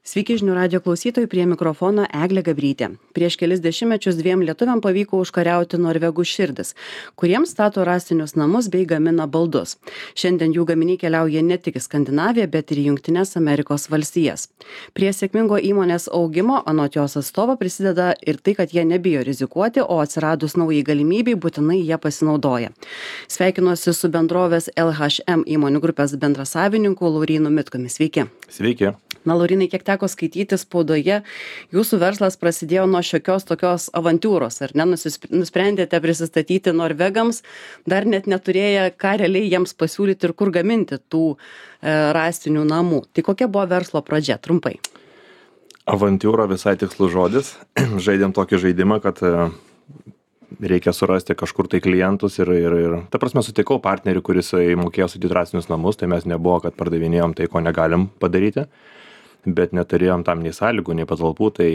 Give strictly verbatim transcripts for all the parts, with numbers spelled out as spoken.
Sveiki žinių radio klausytojai, prie mikrofono Eglė Gabrytė. Prieš kelis dešimtmečius dviem lietuviam pavyko užkariauti norvegų širdis, kuriems stato rąstinius namus bei gamina baldus. Šiandien jų gaminiai keliauja ne tik į Skandinaviją, bet ir į Jungtines Amerikos valstijas. Prie sėkmingo įmonės augimo, anot jos atstovo, prisideda ir tai, kad jie nebijo rizikuoti, o atsiradus naujai galimybei būtinai jie pasinaudoja. Sveikinuosi su bendrovės L H M įmonių grupės bendrasavininku Laurynu Mitkumi. Sveiki. Sveiki. Na, Laurynai, kiek teko skaityti spaudoje, jūsų verslas prasidėjo nuo šiokios tokios avantūros, ar ne? Nusprendėte prisistatyti norvegams, dar net neturėję, ką realiai jiems pasiūlyti ir kur gaminti tų e, rąstinių namų. Tai kokia buvo verslo pradžia, trumpai? Avantūra visai tikslus žodis. Žaidėm tokį žaidimą, kad e, reikia surasti kažkur tai klientus ir, ir, ir ta prasme sutikau partnerį, kuris mokėjo statyti rąstinius namus, tai mes nebuvo, kad pardavinėjom tai, ko negalim padaryti. Bet neturėjom tam nei sąlygų, nei patalpų, tai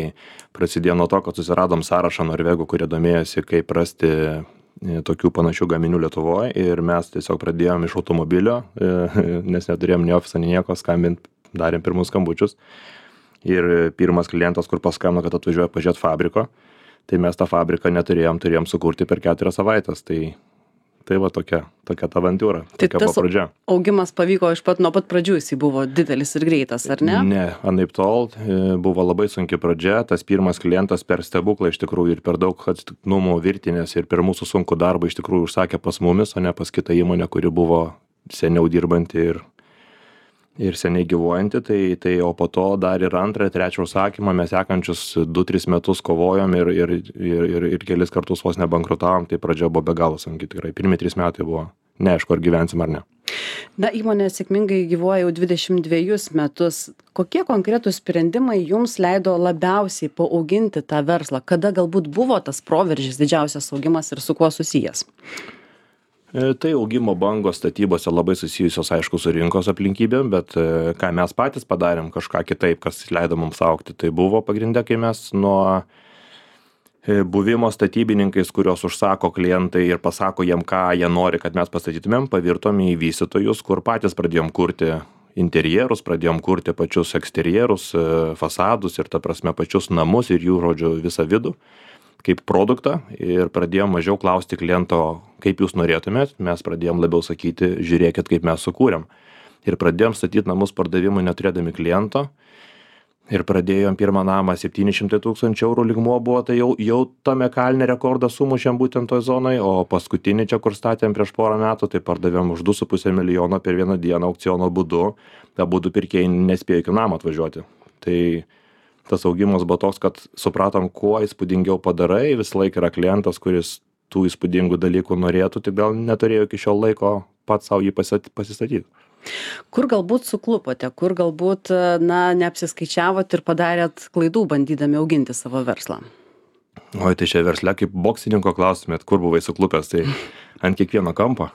prasidėjo nuo to, kad susiradom sąrašą norvegų, kurie domėjosi, kaip rasti tokių panašių gaminių Lietuvoje, ir mes tiesiog pradėjom iš automobilio, nes neturėjom nei ofiso, nei nieko, skambint, darėm pirmus skambučius. Ir pirmas klientas, kur paskambino, kad atvažiuoja pažiūrėti fabriko, tai mes tą fabriką neturėjom, turėjom sukurti per keturias savaitės. Tai Tai va tokia, tokia ta avantūra, tokia buvo pradžia. Augimas pavyko iš pat nuo pat pradžių, jis buvo didelis ir greitas, ar ne? Ne, anaip tol buvo labai sunki pradžia, tas pirmas klientas per stebuklą iš tikrųjų ir per daug atsitiktinumų virtinės ir per mūsų sunkų darbą iš tikrųjų užsakė pas mumis, o ne pas kitą įmonę, kuri buvo seniau dirbanti ir, ir seniai gyvuojanti, tai, tai o po to dar ir antrą, trečią užsakymą mes sekančius du tris metus kovojom ir, ir, ir, ir, ir kelis kartus vos nebankrutavom, tai pradžia buvo be galo sunki tikrai. Pirmi trys metai buvo neaišku, ar gyvensim ar ne. Na, įmonė sėkmingai gyvuoja jau dvidešimt dvejus metus. Kokie konkretūs sprendimai jums leido labiausiai paauginti tą verslą? Kada galbūt buvo tas proveržis, didžiausias augimas ir su kuo susijęs? Tai augimo bangos statybose labai susijusios, aišku, su rinkos aplinkybėm, bet ką mes patys padarėm kažką kitaip, kas leido mums augti, tai buvo pagrinde, kai mes nuo buvimo statybininkais, kurios užsako klientai ir pasako jiem, ką jie nori, kad mes pastatytumėm, pavirtom į vystytojus, kur patys pradėjom kurti interjerus, pradėjom kurti pačius eksterjerus, fasadus ir ta prasme pačius namus ir jų, žodžiu, visą vidų kaip produktą, ir pradėjom mažiau klausti kliento, kaip jūs norėtumėt, mes pradėjom labiau sakyti, žiūrėkit, kaip mes sukūrėm. Ir pradėjom statyti namus pardavimui neturėdami kliento, ir pradėjom pirmą namą septyni šimtai tūkstančių eurų lygmuo buvo, tai jau, jau tame kalne rekordą sumušėm būtent toj zonai, o paskutinį čia, kur statėm prieš porą metų, tai pardavėm už du su puse milijono per vieną dieną aukciono būdu, tą būdų pirkėjai nespėjo iki namą atvažiuoti. Tai tas augimas buvo toks, kad supratom, kuo įspūdingiau padarai, visą laiką yra klientas, kuris tų įspūdingų dalykų norėtų, tik gal neturėjo iki šio laiko pats savo jį pasistatyti. Kur galbūt suklupote, kur galbūt, na, neapsiskaičiavot ir padarėt klaidų, bandydami auginti savo verslą? Oi, tai čia versle kaip boksininko klaustumėt, kur buvai suklupęs, tai ant kiekvieno kampo.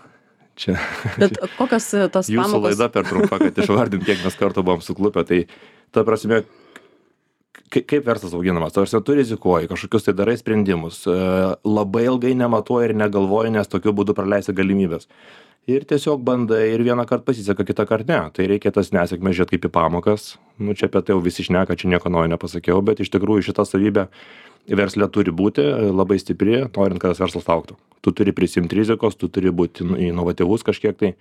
Čia, Bet kokios tos jūsų pamokos? Laida per trumpa, kad išvardint, kiek mes kartų buvom suklupę, tai ta prasme, kaip verslas auginamas, tarsi tu rizikuoji, kažkokius tai darai sprendimus, labai ilgai nematuoji ir negalvoji, nes tokiu būdu praleisi galimybės. Ir tiesiog bandai ir vieną kartą pasiseka, kitą kartą ne. Tai reikia tas nesėkmės žiūrėti kaip į pamokas. Nu, čia apie tai jau visi šneka, čia nieko naujo nepasakiau, bet iš tikrųjų šita savybė versle turi būti labai stipri, norint, kad tas verslas augtų. Tu turi prisimti rizikos, tu turi būti inovatyvus kažkiek tai,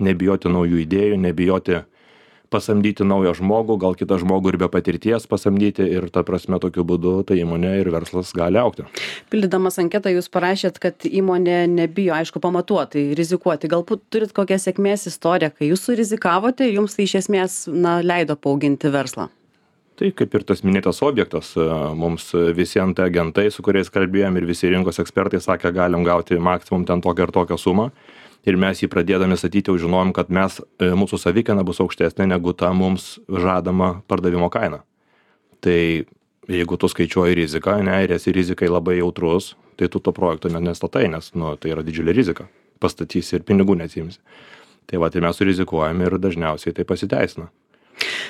nebijoti naujų idėjų, nebijoti pasamdyti naują žmogų, gal kitą žmogų ir be patirties pasamdyti, ir ta prasme tokiu būdu ta įmonė ir verslas gali augti. Pildydamas anketą jūs parašėt, kad įmonė nebijo, aišku, pamatuotai, rizikuoti. Galbūt turit kokią sėkmės istoriją, kai jūs surizikavote, jums tai iš esmės, na, leido paauginti verslą? Tai kaip ir tas minėtas objektas, mums visi ant agentai, su kuriais kalbėjom, ir visi rinkos ekspertai sakė, galim gauti maksimum ten tokią ir tokią sumą. Ir mes jį pradėdami statyti jau žinojom, kad mes, mūsų savikaina bus aukštesnė negu ta mums žadama pardavimo kaina. Tai jeigu tu skaičiuoji riziką, ne, ir esi rizikai labai jautrus, tai tu to projekto nestatai, nes nu, tai yra didžiulė rizika. Pastatysi ir pinigų neatsiimsi. Tai va, tai mes surizikuojam ir dažniausiai tai pasiteisina.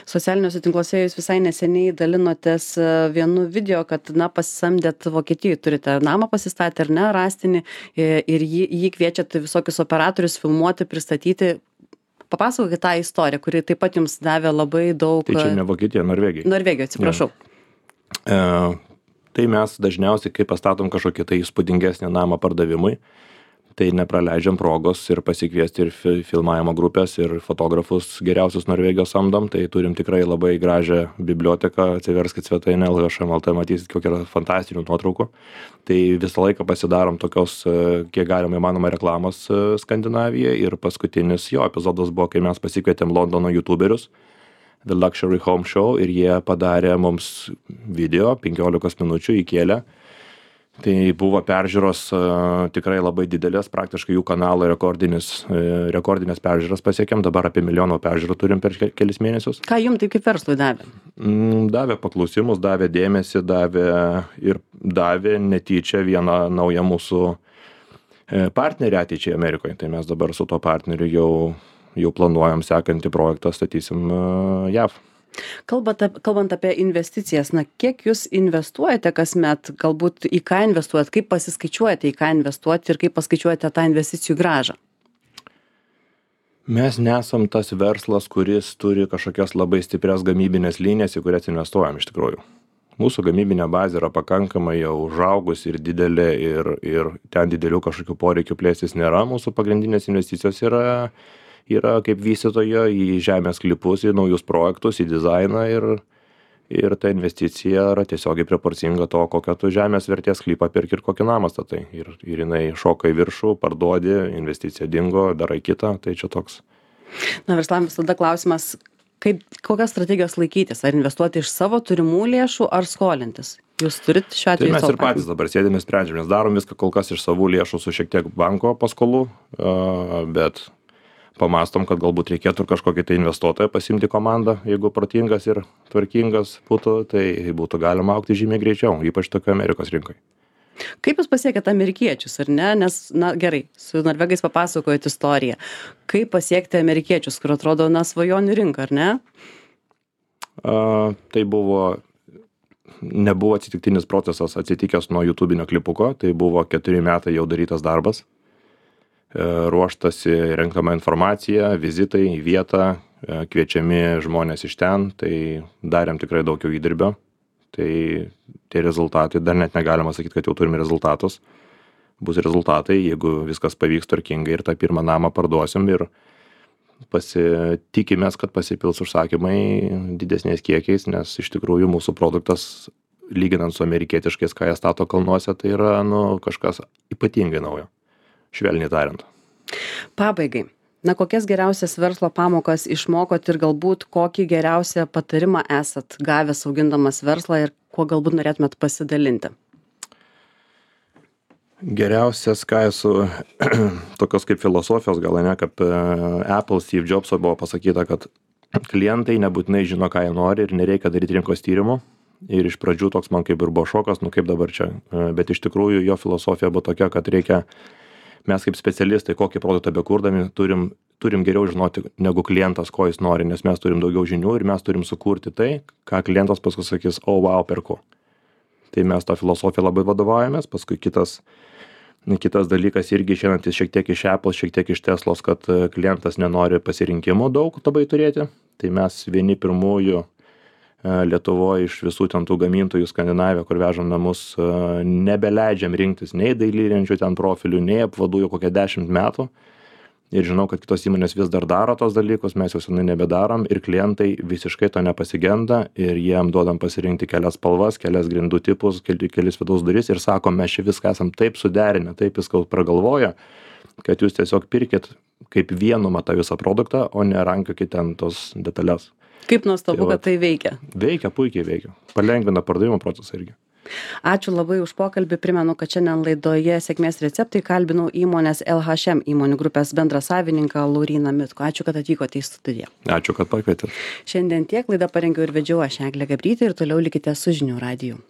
Socialiniuose tinkluose jūs visai neseniai dalinotės vienu video, kad, na, pasisamdėt Vokietijai, turite namą pasistatę ar ne, rąstinį, ir jį, jį kviečiat visokius operatorius filmuoti, pristatyti. papasakokit tą istoriją, kuri taip pat jums davė labai daug. Tai čia ne Vokietija, Norvegija. Norvegija, atsiprašau. E, tai mes dažniausiai, kai pastatom kažkokį tai įspūdingesnį namą pardavimui, tai nepraleidžiam progos ir pasikviesti ir fi, filmavimo grupės, ir fotografus geriausius Norvegijos samdom, tai turim tikrai labai gražią biblioteką, atsiverskit svetainę L H M L T, matysit, kokia yra fantastinių nuotraukų. Tai visą laiką pasidarom tokios, kiek galima įmanoma reklamos Skandinavijoje, ir paskutinis jo epizodas buvo, kai mes pasikvietėm Londono youtuberius, The Luxury Home Show, ir jie padarė mums video, penkiolikos minučių įkėlė. Tai buvo peržiūros uh, tikrai labai didelės, praktiškai jų kanalo rekordinis, uh, rekordinės peržiūros pasiekėm, dabar apie milijoną peržiūrų turim per kelis mėnesius. Ką jums taip kaip verslui davė? Mm, davė paklausimus, davė dėmesį, davė ir davė netyčia vieną naują mūsų partnerį ateičiai Amerikoje. Tai mes dabar su tuo partneriu jau, jau planuojam sekantį projektą, statysim uh, J A V. Kalbant, kalbant apie investicijas, na, kiek jūs investuojate kasmet, galbūt į ką investuojate, kaip pasiskaičiuojate, į ką investuoti ir kaip paskaičiuojate tą investicijų grąžą? Mes nesam tas verslas, kuris turi kažkokias labai stiprias gamybinės linijas, į kurias investuojam iš tikrųjų. Mūsų gamybinė bazė yra pakankamai jau užaugus ir didelė, ir, ir ten didelių kažkokių poreikių plėstis nėra. Mūsų pagrindinės investicijos yra yra kaip vystytojo į žemės sklypus, į naujus projektus, į dizainą, ir, ir ta investicija yra tiesiogiai proporcinga to, kokią tu žemės vertės sklypą pirki ir kokį namą statai. Ir, ir jinai šoka į viršų, parduodi, investicija dingo, darai kitą, tai čia toks. Na, verslam visada klausimas, kaip, kokios strategijos laikytis, ar investuoti iš savo turimų lėšų, ar skolintis? Jūs turit šiuo atveju? Tai mes ir patys dabar sėdime, sprendžiam, mes darom viską kol kas iš savų lėšų su šiek tiek banko paskolų, bet pamastom, kad galbūt reikėtų kažkokį tai investuotoją pasimti komandą, jeigu protingas ir tvarkingas būtų, tai būtų galima augti žymiai greičiau, ypač tokio Amerikos rinkoje. Kaip jūs pasiekėte amerikiečius, ar ne? Nes, na gerai, su norvegais papasakojot istoriją. Kaip pasiekti amerikiečius, kur atrodo, na, svajonių rinka, ar ne? A, tai buvo, nebuvo atsitiktinis procesas atsitikęs nuo YouTube'inio klipuko, tai buvo keturi metai jau darytas darbas. Ruoštasi renkama informacija, vizitai į vietą, kviečiami žmonės iš ten, tai darėm tikrai daug jau įdirbio. Tai tie rezultatai, dar net negalima sakyti, kad jau turime rezultatus. Bus rezultatai, jeigu viskas pavyks tvarkingai ir tą pirmą namą parduosim, ir pasitikimės, kad pasipils užsakymai didesniais kiekiais, nes iš tikrųjų mūsų produktas, lyginant su amerikietiškais, ką jie stato kalnuose, tai yra, nu, kažkas ypatingai naujo. Švelniai tariant. Pabaigai. Na, kokias geriausias verslo pamokas išmokot ir galbūt kokį geriausią patarimą esat gavęs augindamas verslą ir kuo galbūt norėtumėt pasidalinti? Geriausias, ką esu, tokios kaip filosofijos, gal ne, kaip Apple, Steve Jobso buvo pasakyta, kad klientai nebūtinai žino, ką jie nori ir nereikia daryti rinkos tyrimų. Ir iš pradžių toks man kaip ir buvo šokas, nu kaip dabar čia. Bet iš tikrųjų jo filosofija buvo tokia, kad reikia, mes kaip specialistai, kokį produktą bekurdami, turim, turim geriau žinoti negu klientas, ko jis nori, nes mes turim daugiau žinių ir mes turim sukurti tai, ką klientas paskui sakys, o, oh, wow, perku. Tai mes tą filosofiją labai vadovaujamės, paskui kitas, kitas dalykas irgi išeinantis šiek tiek iš Apple, šiek tiek iš Teslos, kad klientas nenori pasirinkimų daug labai turėti. Tai mes vieni pirmųjų Lietuvoje iš visų ten tų gamintojų Skandinavijoje, kur vežam namus, nebeleidžiam rinktis nei dailylenčių ten profilių, nei apvadų jau kokią dešimt metų. Ir žinau, kad kitos įmonės vis dar daro tos dalykus, mes jau senai nebedarom ir klientai visiškai to nepasigenda ir jiem duodam pasirinkti kelias spalvas, kelias grindų tipus, kelis vidaus duris ir sakom, mes čia viską esam taip suderinę, taip viską pragalvoję, kad jūs tiesiog pirkit kaip vienu matą visą produktą, o ne rankiokit ten tos detalės. Kaip nuostabu, tai, kad tai veikia. Veikia, puikiai veikia. Palengvina pardavimo procesą irgi. Ačiū labai už pokalbį. Primenu, kad šiandien laidoje Sėkmės receptai kalbinau įmonės L H M įmonių grupės bendrasavininką Lauryną Mitkų. Ačiū, kad atvykote į studiją. Ačiū, kad pakvietėte. Šiandien tiek, laidą parengiau ir vedžiau aš Eglė Gabrytė ir toliau likite su žinių radiju.